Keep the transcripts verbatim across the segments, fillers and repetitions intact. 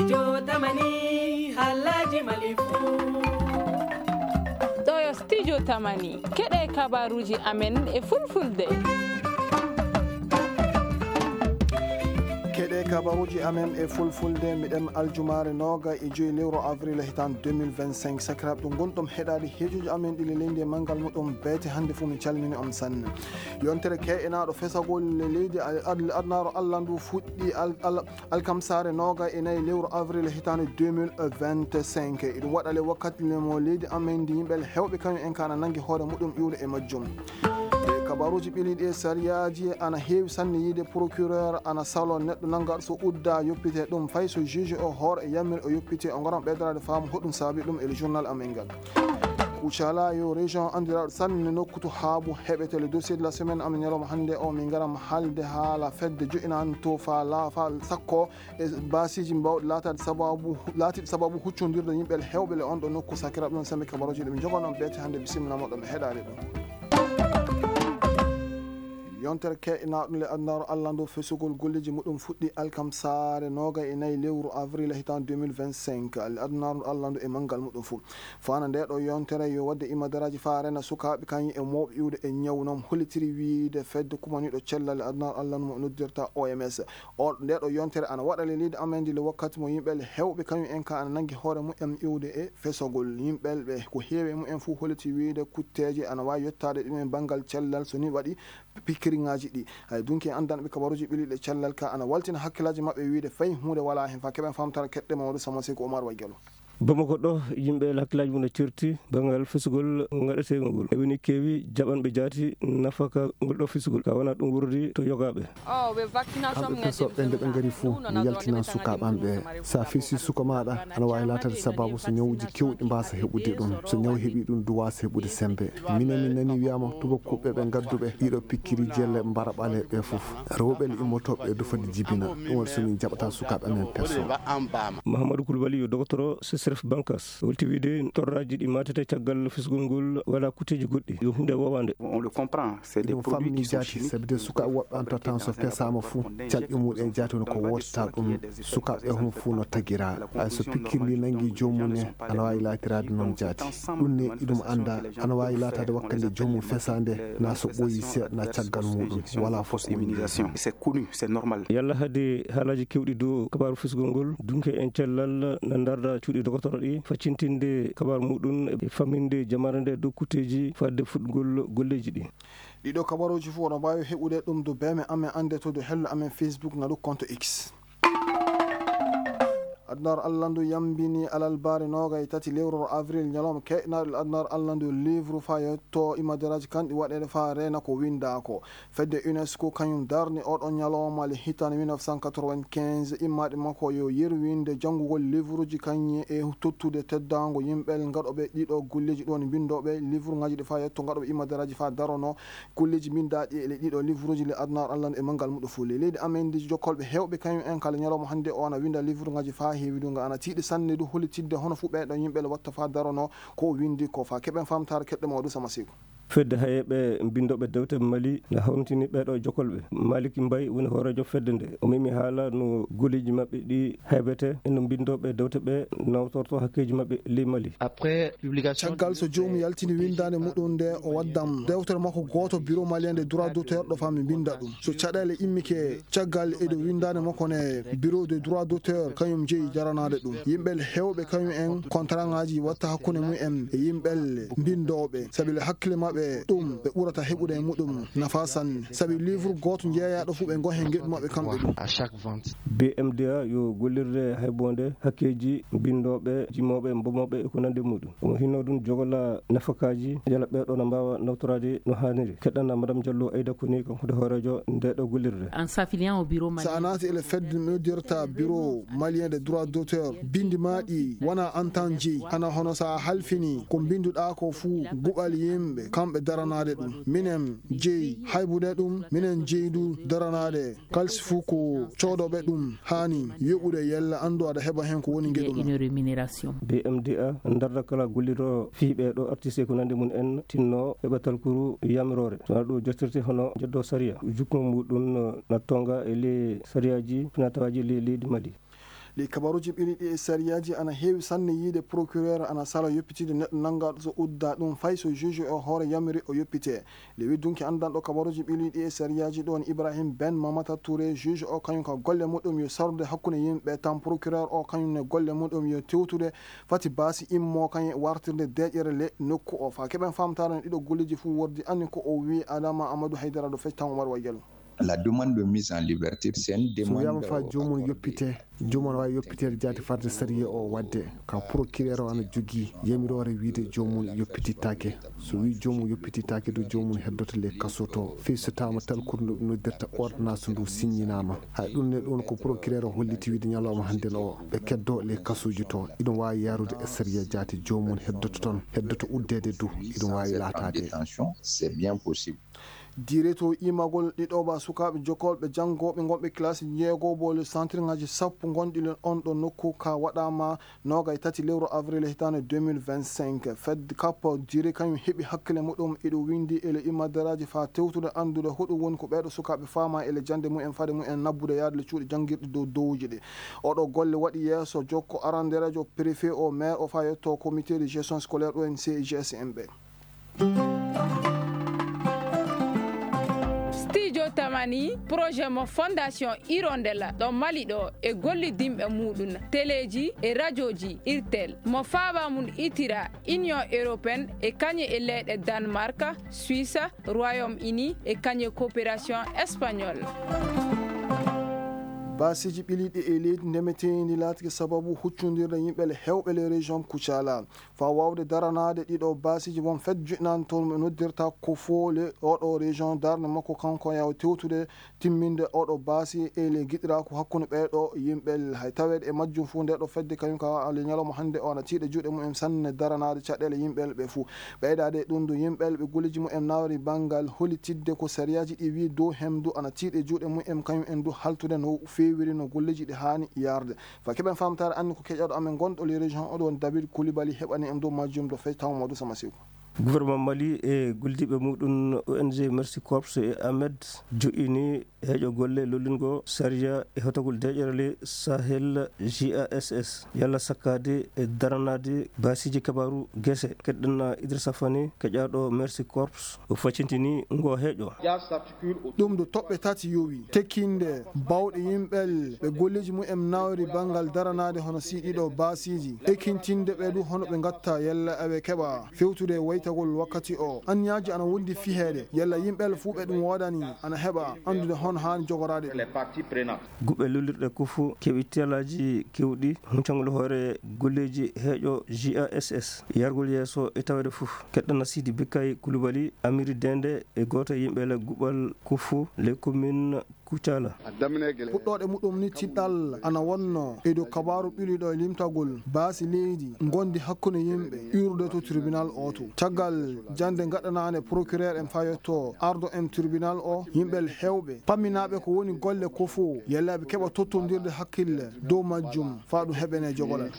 Jotamani, Alhaji Malifu. Ɗo yo Studio Tamani. Keɗe kabaruji amen e fulfulde. Keɗe kabaruji amen e fulfulde, miɗen aljumaare nooga e joyi lewru avril hitaan deux mille vingt-cinq. Sakiraaɓe, ɗum gonɗum heɗaade heejoji amen ɗi le leydi e manngal muɗum beete. Hannde fof min calmini on sanne. Yontere ke'enaaɗo fesagol le leydi, ad-, adnaaru Allah ndu fuɗɗi al-, al-, alkamsaare nooga e nayi lewru avril hitaande deux mille vingt-cinq. Eɗum waɗa le wakkati le mo leydi amen ndi yimɓe heewɓe kañum en ka ana nanngi hoore muɗum iwde e majjum. E kabaruuji ɓiliiɗi e sariyaaji ana heewi sanne yiide procureur ana salo neɗɗo nanngaɗo so udda yoppite ɗum fay so juge o hoore e yamir o yoppite o ngaran ɓeydoraade faamu hoɗum saabi ɗum e le journal amen ngal. Kucala yo région anndiraaɗo sanne nokku to haabu heɓete le dossier de la semaine amen ñalawma hannde o min ngaran haalde haala fedde jo'inanto fa laafa sakko e baasiiji mbawɗi laataade sababu, laatiiɗi sababu huccondirde yimɓe heewɓe le on ɗo nokku. Sakiraaɓe, ɗum sami kabaruuji ɗi min njogono on beete hannde, bisimilla moɗon e heɗaade ɗum. Yontere ke'enaaɗo le adnaaru Allah ndu fesugol golleeji muɗum fuɗɗi alkamsaare nooga e nayi lewru avril hitaan deux mille vingt-cinq. Le adnaaru Allah ndu e manngal muɗum fof. Fana nde ɗo yontere yo waɗde imadaraaji faa rena sukaaɓe kañum e mawɓe iwde e ñawu noon hollitiri wiyde fedde kumaniiɗo cellal aduna Allah no mo noddirta O M S. O, nde ɗo yontere ana waɗa le leydi amen ndi le wakkati mo yimɓe le heewɓe kañum en ka ana nanngi hoore mumen iwde e fesogol. Yimɓe ɓe ko heewi e mumen fof holliti wiyde kutteeje ana waawi yettaade ɗum e banngal cellal so ni waɗi pikkiriŋaaji ɗi. Hay dunki e anndanɓe kabaruuji ɓiliiɗe cellal ka ana waltina hakkillaaji maɓɓe wiyde fay huunde walaa heen faa keɓen faamtara keɗɗe Mamadou Sama Seku Omar Waggelo. Bamako ɗo, yimɓe hakkillaaji mum no certi banngal fesugol ngaɗeteengol ngol. E woni keewi jaɓanɓe jaati nafaka ngol ɗo fesugol. Ka wona ɗum wurdi to yogaaɓe. Kamɓe fesoɓe nde ɓe ngari fuu, mi yaltinan sukaaɓe am ɓe. So a fesi suka maaɗa, ana waawi laataade sababu so ñawuuji keewɗi mbaasa heɓude ɗum. So ñaw heɓi ɗum, du waasa heɓude semmbe. Minen min nani wiyaama tubakuuɓe ɓe ngadduɓe ɗiɗo pikkiri jelle mbara ɓale ɓe fof. Rewɓe le immotooɓe e dufade jibina. Ɗum waɗi so min jaɓata sukaaɓe amen peso. Mahamadou Koulibaly yo dogotoro C S R F Bankas. Holti wiyde torraaji ɗi maatete caggal fisgol ngol wala kutteeji goɗɗi. Yo huunde woowaande. On le comprend, c'est des Ɗum produits famini qui sont jaati, chimiques. Sabi de sukaaɓe woɓɓe an tottan so pesaama fuu, calɗi muɗum e jaati woni ko wootata ɗum. Sukaaɓe homo fuu no tagira. Hay so pikkirli nangi joomum ne, ana waawi laatiraade noon jaati. Ɗum ne iɗum annda, ana waawi laataade wakkande joomum fesaande, na so ɓooyi seeɗa, na caggal muɗum. Wala fof ko woni. C'est connu, c'est normal. Yalla hade haalaaji keewɗi dow kabaaru fisgol ngol, dunke en cellal na ndarda cuuɗi dogotoro ɗi, faccintinde kabaaru muɗum e famminde jamaare nde dow kutteeji fadde fuɗgol golleeji ɗi. Ɗiɗo kabaruuji fof oɗon mbaawi heɓude ɗum dow beeme amen annde to dow hello amen Facebook ngalu compte X. Adunaaru Allah ndu yambini alalbaari nooga e tati lewru avril, ñalawma ke'naaɗo adunaaru Allah ndu, livre faa yetto imadaraaji kanɗi waɗeede faa reena ko winndaa ko. Fedde UNESCO kañum darni oɗon ñalawma le hitaande mille neuf cent quatre-vingt-quinze, immaaɗe makko yo yerwinde janngugol livruuji kañum e tottude teddaango yimɓe ngaɗooɓe ɗiɗo golleeji ɗoon mbinndooɓe livruŋaaji ɗi faa yetto ngaɗooɓe imadaraaji faa darono golleeji mbinndaaɗi e ɗiɗo livruuji le adunaaru Allah e manngal muɗum fof. Le leydi amen ndi jokkolɓe heewɓe kañum en kala ñalawma hannde o ana winnda livruŋaaji faa heewi ɗum nga ana tiiɗi sanne du hollitidde hono fuu ɓeeɗo yimɓe le watta faa darono ko o winndi ko faa keɓen faamtaare keɗɗo mawɗo Sama Seeku. Fedde hayeeɓe mbinndooɓe dewte Mali na hawritini ɓeeɗo jokkolɓe. Malik Mbay woni hooreejo fedde nde. O memi haala no golleeji maɓɓe ɗi haybete e no mbinndooɓe dewte ɓe nawtorto hakkeeji maɓɓe ley Mali. Après publication Caggal so joomum yaltini winndaande muɗum nde o waddan dewtere makko gooto Bureau Malien des Droits d'Auteur ɗo faa mi mbinnda ɗum. So caɗeele immike caggal e dow winndaande makko ne Bureau des Droits d'Auteur kañum jeyi daranaade ɗum. Yimɓe heewɓe kañum en kontaraaŋaaji watta hakkunde mum en e yimɓe mbinndooɓe, sabi le hakkille maɓɓe ɗum ɓe ɓurata heɓude e muɗum nafa sanne. Sabi livre gooto jeeyaaɗo fuu ɓe ngoo heen ngeɗu maɓɓe kamɓe ɗum. B M D A yo gollirde hayboonde hakkeeji mbinndooɓe, jimooɓe, mbomooɓe e ko nanndi muɗum. Omo hinno ɗum jogola nafakaaji, yala ɓeeɗo na mbaawa nawtoraade no haaniri. Keɗɗana Madame Diallo Aida Koni, kanko woni hooreejo ndeeɗo gollirde. En s'affiliant au bureau malien. So a naati ele fedde noddirta Bureau Malien des Droits d'Auteur, binndi maa ɗi wona an tan jeyi. Hana hono so a halfini ko mbinnduɗaa ko fuu guɓal yimɓe, kamɓe daranaade ɗum. Minen jeyi haybude ɗum, minen jeyi du daranaade. Kalsi fuu ko coodooɓe ɗum haani yoɓude yalla anndu aɗa heɓa heen ko woni ngeɗu ma. Une rémunération. B M D A ndarda kala gollirɗo fii ɓee ɗoo artiste e ko nanndi mum en tinno heɓa talkuru yamiroore. So wanaa ɗum jottirte hono njeddo sariya. Jukkungo muɗum no na tonga e ley sariyaaji finaa-tawaaji ley leydi Mali. Ɗi kabaruuji ɓili ɗi e sariyaaji ana heewi sanne yiide procureur ana sala yoppitide neɗɗo nanngaɗo so udda ɗum fay so juge o hoore yamiri o yoppite. Le widdunki anndanɗo kabaruuji ɓili ɗi e sariyaaji ɗon Ibrahim Ben Mamata Touré, juge o kañum ka golle muɗum yo sarde hakkunde yimɓe tan procureur o kañum ne golle muɗum yo tewtude fati baasi immo kañum wartirde deeƴere le nokku o. Fa keɓen famtare no ɗiɗo golleji fof wordi anni ko o wi Adama Amadou Haydara ɗo fecci tan Oumar Wayel. La demande de mise en liberté, c'est une demande. So wiyama fa joomum yoppite, joomum wawi yoppiteede jaati farde sariya o wadde ka procureur o ana jogii yamiroore wiide joomum yoppitittaake. So wi joomum yoppitittaake du joomum heddoto le kaso to fii so tawama tal ko no noddirta ordonnance ndu signinaama. Hay ɗum ne ɗum ko procureur o holliti wiide ñalawma hannde no o ɓe keddo le kasuuji to iɗum wawi yarude e sariya jaati joomum heddoto toon heddoto uddeede du iɗum wawi laataade. C'est bien possible. Direto imagol ɗiɗoɓa sukaaɓe jokkolɓe janngooɓe ngonɓe kilasi jeegoɓo le santirŋaaji sappo ngonɗi len on ɗo nokku ka waɗaama noogay tati lewru avril hitaande deux mille vingt-cinq. Fed kap dire kañum heɓi hakkile muɗum iɗo winndi e le imadaraaji faa tewtude anndude hoɗum woni ko ɓeeɗo sukaaɓe faama e le jannde mumen faade mumen nabbude yaade le cuuɗi janngirɗi dow dowuji ɗi. Oɗo golle waɗi yeeso jokko arandereejo préfet o maire o faa yetto comité de gestion scolaire ɗo en C G S M ɓe. Studio Tamani, projet mo Fondation Hirondelle ɗo Mali ɗo e gollidinɓe muɗum teleji e rajoji irtel mo faaba mum itira Union Européenne e kañe e leyɗe Danemark, Suisse, Royaume Uni e kañe coopération espagnole. Baasiiji ɓiliiɗi e leydi ndemeteendi laatike sababu huccondirde yimɓe le hewɓe le région Kucala. Faa waawde daranaade ɗiɗo baasiiji won fedde juɗnaande toon mo noddirta ko foole oɗo région darnde makko kanko yaw tewtude timminde oɗo baasi e le giɗiraaku hakkunde ɓeeɗo yimɓe hay taweede e majjum fof ndeɗo fedde kañum ka le ñalawma hannde o ana tiiɗa juuɗe mumen sanne daranaade caɗeele yimɓe ɓe fof. Ɓeydaade e ɗum du yimɓe ɓe golleeji mumen nawri banngal hollitidde ko sariyaaji ɗi wii dow hem du ana tiiɗe juuɗe mumen kañum en du haltude no feewiri no golleeji ɗi haani yarde. Fa keɓen famtaare anni ko keƴaɗo amen gonɗo le région oɗo woni David Koulibaly heɓani en dow majjum do fey taw Mamadou Sama Sekou. Gouvernement Mali e gollidiiɓe muɗum O N G Mercy Corps e Ahmed joƴƴini heeƴo golle lollingol sariya e hotogol deeƴere le Sahel G A S S yalla sakkaade e daranaade baasiiji kabaaru gese. Keɗɗen Idrissa Fane keƴaɗo Mercy Corps o faccintini ngo heeƴo. Ɗum ɗo toɓɓe tati yowi tekkinde bawɗe yimɓel ɓe golleeji mumen nawri banngal daranaade hono si ɗiɗo baasiiji ekkintinde ɓe du hono ɓe ngatta yalla aɓe keɓa fewtude waytagol wakkati o. Anniyaaji ana wondi fiheede yalla yimɓel fuu ɓe ɗum woodani ana heɓa anndude hono haani jogoraade ɗum. Guɓe lullirɗe kufu keɓi telaaji kewɗi huncangol hoore golleeji heeƴo G A S S yargol yeeso e tawede fof. Keɗɗana Sidi Bikkay Kulubali Amiri Dende e gooto e yimɓe le guɓal kufu le commune Kucala. Puɗɗooɗe muɗum ni tiɗɗal ana wonno e dow kabaaru ɓiliɗo e limtagol baasi leydi ngondi hakkunde yimɓe iwrude to tribunal o to. Caggal jannde gaɗanaande procureur en fayotto ardo en tribunal o yimɓe hewɓe pamminaaɓe ko woni golle ko fof yallaaɓe keɓa tottondirde hakkille dow majjum faa ɗum heɓene jogolal.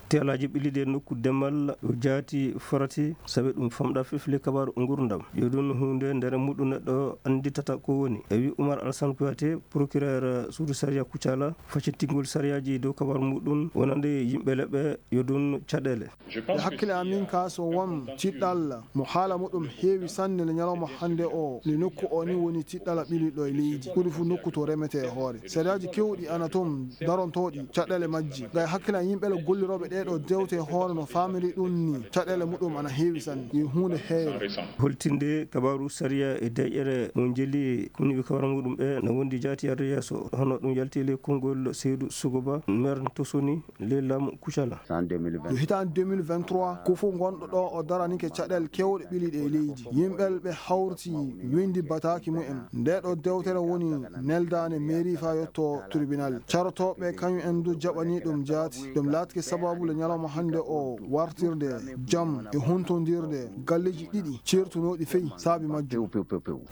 Teelaaji ɓiliɗi e nokku demal o jaati farati sabi ɗum famɗa fefle kabaaru ngurdam yo ɗum huunde nder muɗum neɗɗo annditata ko woni e wi Umar Alsan Kuyate procureur suudu sariya Kucala faccittingol sariyaaji dow kabaaru muɗum wonande yimɓe leɓɓe yo ɗum caɗeele. E hakkille amin ka so won tiɗɗal mo haala muɗum heewi sanne le ñalawma hannde o le nokku o ni woni tiɗɗal ɓiliɗo e leydi ɓuri fu nokku to remete e hoore sariyaaji kewɗi ana toon darontooɗi caɗeele majji gay hakkille yimɓe le gollirooɓe ɗeɗo dewte hoore no famiri ɗum ni caɗeele muɗum ana heewi sanne yo huunde heere. Holtinde kabaaru sariya e deƴƴere mo jeli koni wi kabaaru muɗum ɓe no wondi jaati yarde yeeso hono ɗum yalti le konngol seydu sugoba mer tosoni le lam Kucala. Yo hitaande deux mille vingt-trois ko fof gonɗo ɗo o daranike caɗeele kewɗe ɓiliɗe e leydi yimɓe ɓe hawrti windi bataaki mumen nde ɗo dewtere woni neldaande mairie faa yetto tribunal carotooɓe kañum en du jaɓani ɗum jaati ɗum laatike sababu le ñalawma hannde o wartirde jam e huntondirde galleeji ɗiɗi ceertunooɗi fey saabi majjum.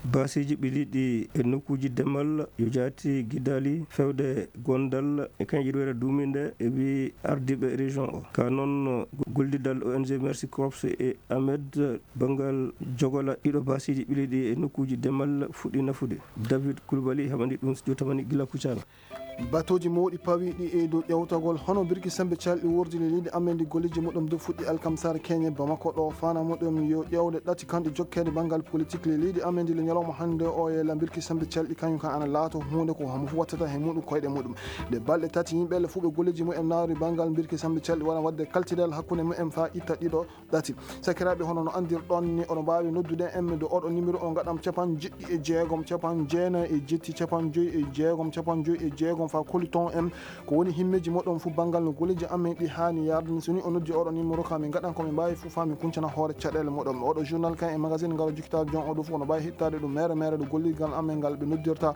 Baasiiji ɓiliɗi e nokkuuji demal yo jaati gidaali fewde gondal e kañƴirwere duuminde e wi ardiiɓe région o ka noon gollidal O N G Mercy Corps e Ahmed banngal jogola ɗiɗo baasiiji ɓiliɗi e nokkuuji demal fuɗɗi nafude. David Koulibaly heɓani ɗum jotamani gila Kucala. Batooji mawɗi pawiiɗi e dow ƴeewtagol hono Birki Sembe Calɗi wurdi le leydi amen ndi golleeji muɗum dow fuɗɗi alkamsare keñe Bamako ɗo. Fana muɗum yo ƴeewde ɗati kanɗe jokkeede banngal politik le leydi amen ndi le ñalawma hannde o. Yella Birki Sembe Calɗi kañum kan ana laato huunde ko homo fof wattata he muɗum koyɗe muɗum. Nde balɗe tati yimɓe le fuɓe golleeji mumen naawri banngal Birki Sembe Calɗi wona waɗde kaltidal hakkunde mumen faa itta ɗiɗo ɗati. Sakiraaɓe, hono no anndirɗon ni, oɗon mbaawi noddude en ɗo oɗo numéro o, ngaɗam capanɗe jeɗɗi e jeegom, capanɗe jeenayi e jetti, capanɗe joyi e jeegom, capanɗe joyi e jeegom, faa kolliton en ko woni himmeeji moɗon fof banngal no golleeji amen ɗi haani yaade ni. So ni o noddi oɗo numéro ka, min ngaɗan ko min mbaawi fof faa min kuncana hoore caɗeele moɗon. Oɗo journal kan e magazine ngaro jukkitaade jon oɗo fof, oɗo mbaawi hittaade ɗum mere mere ɗo golligal amen ngal ɓe noddirta.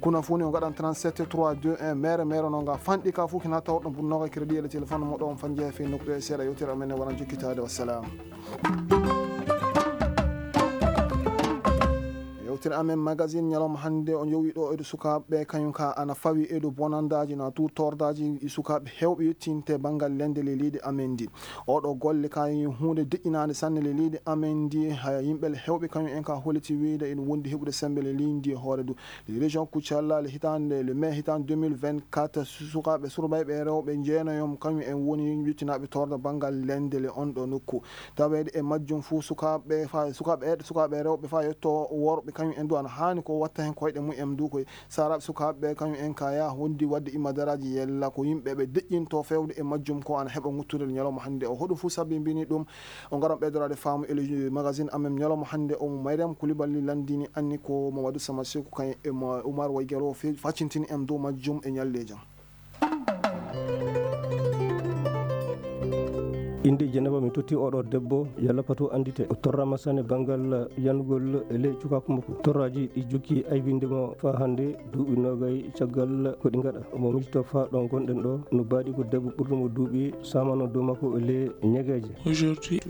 Kuna fuu ni o ngaɗan trente-sept trois deux un mere mere no nga fanɗi ka fof kina tawɗon pour noga crédit e le téléphone moɗon fanje fe nokku e seeɗa yewtere amen e wona jokkitaade. Wassalam. Yewtere amen magazine ñalawma hannde o yowi ɗo e sukaaɓe kañum ka ana fawi e bonandaaji na tu tordaaji e sukaaɓe heewɓe yettinte banngal lende le leydi amen ndi. Oɗo golle ka huunde deƴƴinaande sanne le leydi amen ndi. Haya yimɓe le heewɓe kañum en ka holliti wiyde ene wondi heɓude sembe le leydi ndi e hoore du. Le région Kucala le hitande le mai hitande deux mille vingt-quatre, su-, sukaaɓe surbayɓe e rewɓe jeenayo kañum en woni yettinaaɓe torda banngal lende le on ɗo nokku. Taweede e majjum fof sukaaɓe fa-, sukaaɓe e, sukaaɓe e rewɓe faa yetto worɓe kañum en du ana haani ko watta heen koyɗe mumen du koye. Saraaɓe sukaaɓe kañum en ka ya wondi waɗde imadaraaji yella ko yimɓe ɓe deƴƴinto fewde e majjum ko ana heɓa ŋuttude ñalawma hannde o. Hoɗum fof sabi mbini ɗum o ngaran ɓeydoraade faamu e le magazine amen ñalawma hannde o. Mo Mariam Koulibaly lanndini anni ko Mamadou Sama Sekou kañum e mo Oumar Waygaro fe-, faccintini en dow majjum e ñalleejo. Innde Jeneba mi totti oɗo debbo, yalla pato anndite. O torrama sanne banngal yanugol e ley cukaaku makko. Torraaji ɗi jokki aybinde mo faa hannde duuɓi noogay caggal ko ɗi ngaɗa. Omo miijto faa ɗo ngonɗen ɗo, no baaɗi ko debbo ɓurɗo mo duuɓi saamano dow makko e ley ñegeeje.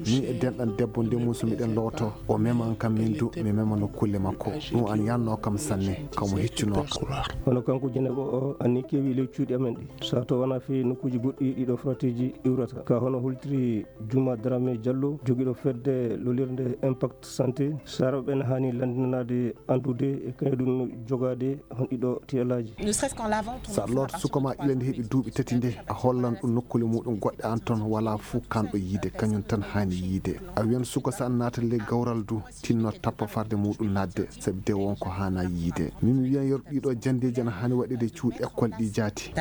Min e denɗan debbo nde muuso miɗen looto. O meman kam min du, mi memano kulle makko. Ɗum an yanno kam sanne, kamo heccuno kam. Hono kanko Jeneba o, anni kewi ley cuuɗi amen ɗi. Sato wona fii nokkuuji goɗɗi ɗiɗo fratiiji iwrata. Ka hono hultiri Juma Dramé Diallo, jogiiɗo fedde lolirde Impact Santé, saraaɓe ɓen haani lanndinanaade anndude e kañum ɗum jogaade hon ɗiɗo tiyalaaji. Sa looto suka ma ƴiwende heɓi duuɓi tati nde, a hollan ɗum nokkuule muɗum goɗɗe an toon wala fuu kanɗo yiide, kañum tan haani yiide. A wiyan suka sa naata ley gawral du, tinno tappa farde muɗum naatde, sabi de won ko haana yiide. Min mi wiyan yeru ɗiɗo janndeeji ana haani waɗeede cuuɗi école ɗi jaati.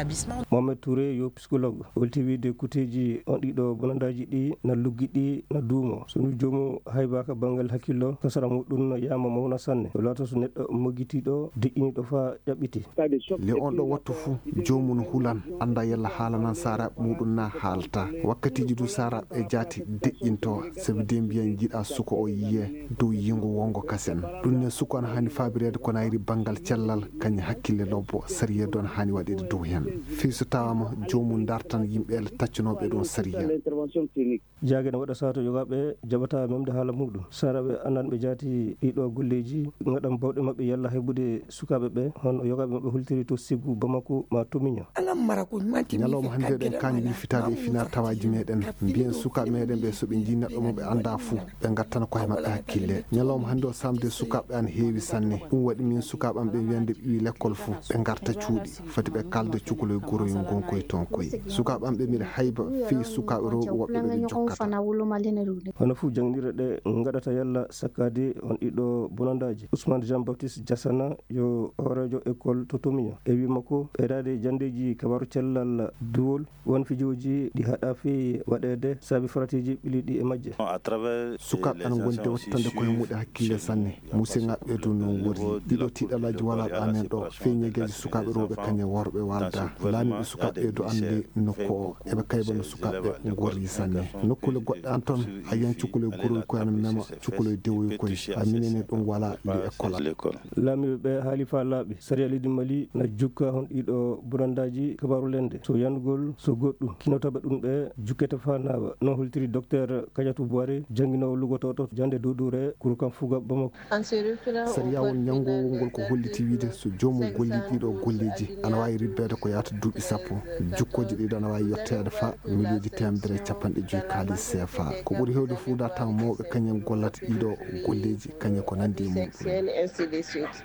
Mohamed Touré yo psychologue, holti wiide kuteeji on ɗiɗo bonandaaji ɗi na luggiɗi na duumo. So ndu joomu haybaaka banngal hakkillo, kasara muɗum no yaama mawna sanne. O laato so neɗɗo moggitiiɗo, deƴƴiniiɗo faa ƴaɓɓiti. Le on ɗo wattu fuu, joomum hulan, annda yalla haalanan saaraaɓe muɗum na haalta. Wakkatiiji du saaraaɓe jaati deƴƴinto, sabi de mbiyan jiɗa suka o yiye dow yingo wongo kasen. Ɗum ne suka on haani faabireede ko nayri banngal cellal, kañum hakkille lobbo, sariya du on haani waɗeede dow hen. Fii so tawaama joomum dartan yimɓe le taccanooɓe ɗum sariya. Jaage ne waɗa sato yogaaɓe jaɓata memde haala muɗum. Saraaɓe anndanɓe jaati ɗiɗo golleeji, ngaɗan bawɗe maɓɓe yalla heɓude sukaaɓe ɓe, hono yogaaɓe maɓɓe hultiri to Ségou, Bamako, ma to Miño. Ñalawma hannde eɗen kaani wilfitaade e fina tawaaji meɗen. Mbiyen sukaaɓe meɗen ɓe so ɓe njii neɗɗo mo ɓe annda fuu, ɓe ngattana koye maɓɓe hakkille. Ñalawma hannde o samde sukaaɓe an heewi sanne. Ɗum waɗi min sukaaɓe am ɓe wiyande ɓe iwi lekkol fuu, ɓe ngarta cuuɗi. Foti ɓe kalda cukaloy goroy ngonkoy toon koy. Sukaaɓe am ɓe mbiɗa hayba fii sukaaɓe rewɓe woɓɓe ɓe ɓe jokkata. Hono fuu jannginirɗe ɗe ngaɗata yalla sakkaade on ɗiɗo bonandaaji. Ousmane Jean Baptiste Diassana yo hooreejo école to Tomiño. E wii makko, ɓeydaade janndeeji kabaaru cellal duwol, won fijooji ɗi haɗa fii waɗeede sabi faratiiji ɓiliiɗi e majje. Sukaaɓe ana ngondi wattande koye muɗe hakkille sanne. Musiŋaaɓe ɓe du non worri. Ɗiɗo tiiɗalaaji walaa ɗo amen ɗo. Fii ñegeeji sukaaɓe rewɓe kañe worɓe walda. Laamiiɓe sukaaɓe ɓe du annde nokku o. Eɓe kayba no sukaaɓe ɓe ngorri sanne. Nokkuule goɗɗe an toon, a yiyan cukaloy goroy koy ana mema, cukaloy dewoy koy. A minene ɗum walaa ndi école. Laamiiɓe ɓe haali faa laaɓi. Sariya leydi Mali na jukka hon ɗiɗo bonandaaji kabaaru lende. So yanugol, so goɗɗum. Kinotooɓe ɗum ɓe jukkete faa naawa. No holtiri Docteur Kadiatou Bouaré, jannginoowo lugotooɗo jannde duuduure, Kurukan Fuga Bamako. Sariya won ñanngowol ngol ko holliti wiide so joomum gollii ɗiɗo golleeji, ana waawi ribbeede ko yaata duuɓi sappo. Jukkooje ɗiɗo ana waawi yetteede faa miliyonji teemedere e capanɗe Ɗe joyi kaalis seefa. Ko ɓuri heewde fuu, dartama mawɓe kañum gollata ɗiɗo golleeji, kañum ko nanndi e mum.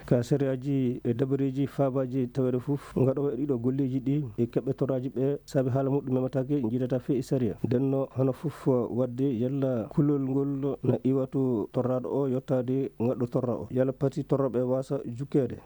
Ka sariyaaji e dabareeji faabaaji taweede fof, ngaɗoowo e ɗiɗo golleeji ɗi e keɓɓe torraaji ɓe, saabi haala muɗum memataake, njiidataa fee e sariya. Ndenno hono fof waɗde yalla kulol ngol na iwa to torraaɗo o yottaade ngaɗɗo torra o, yalla pati torrooɓe waasa jukkeede.